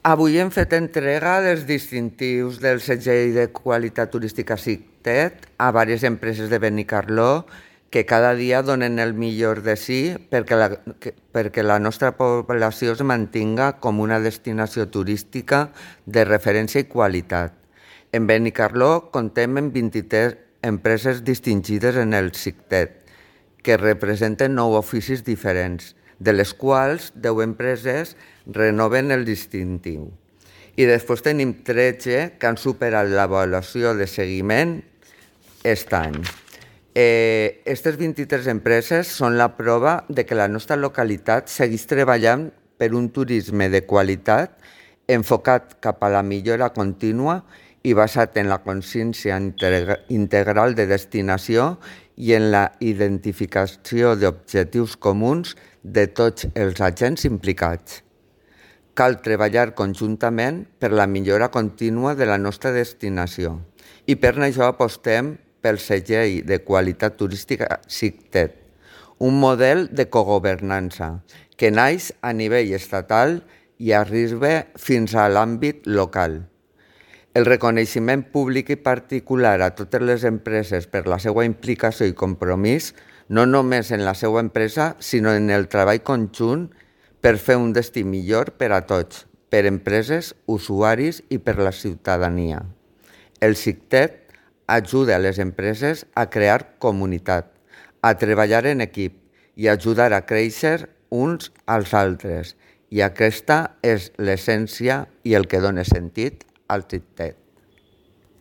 Avui hem fet entrega dels distintius del segell de qualitat turística SICTET a diverses empreses de Benicarló que cada dia donen el millor de si perquè la nostra població es mantinga com una destinació turística de referència i qualitat. En Benicarló comptem amb 23 empreses distingides en el SICTET, que representen 9 oficis diferents, de les quals 10 empreses renoven el distintiu. I després tenim 13 que han superat l'avaluació de seguiment aquest any. Aquestes 23 empreses són la prova de que la nostra localitat segueix treballant per un turisme de qualitat enfocat cap a la millora contínua i basat en la consciència integral de destinació i en la identificació d'objectius comuns de tots els agents implicats. Cal treballar conjuntament per la millora contínua de la nostra destinació i per això apostem pel segell de qualitat turística SICTET, un model de cogovernança que naix a nivell estatal i arriba fins a l'àmbit local. El reconeixement públic i particular a totes les empreses per la seva implicació i compromís, no només en la seva empresa, sinó en el treball conjunt per fer un destí millor per a tots, per empreses, usuaris i per la ciutadania. El SICTET ajuda a les empreses a crear comunitat, a treballar en equip i a ajudar a créixer uns als altres. I aquesta és l'essència i el que dona sentit al SICTET.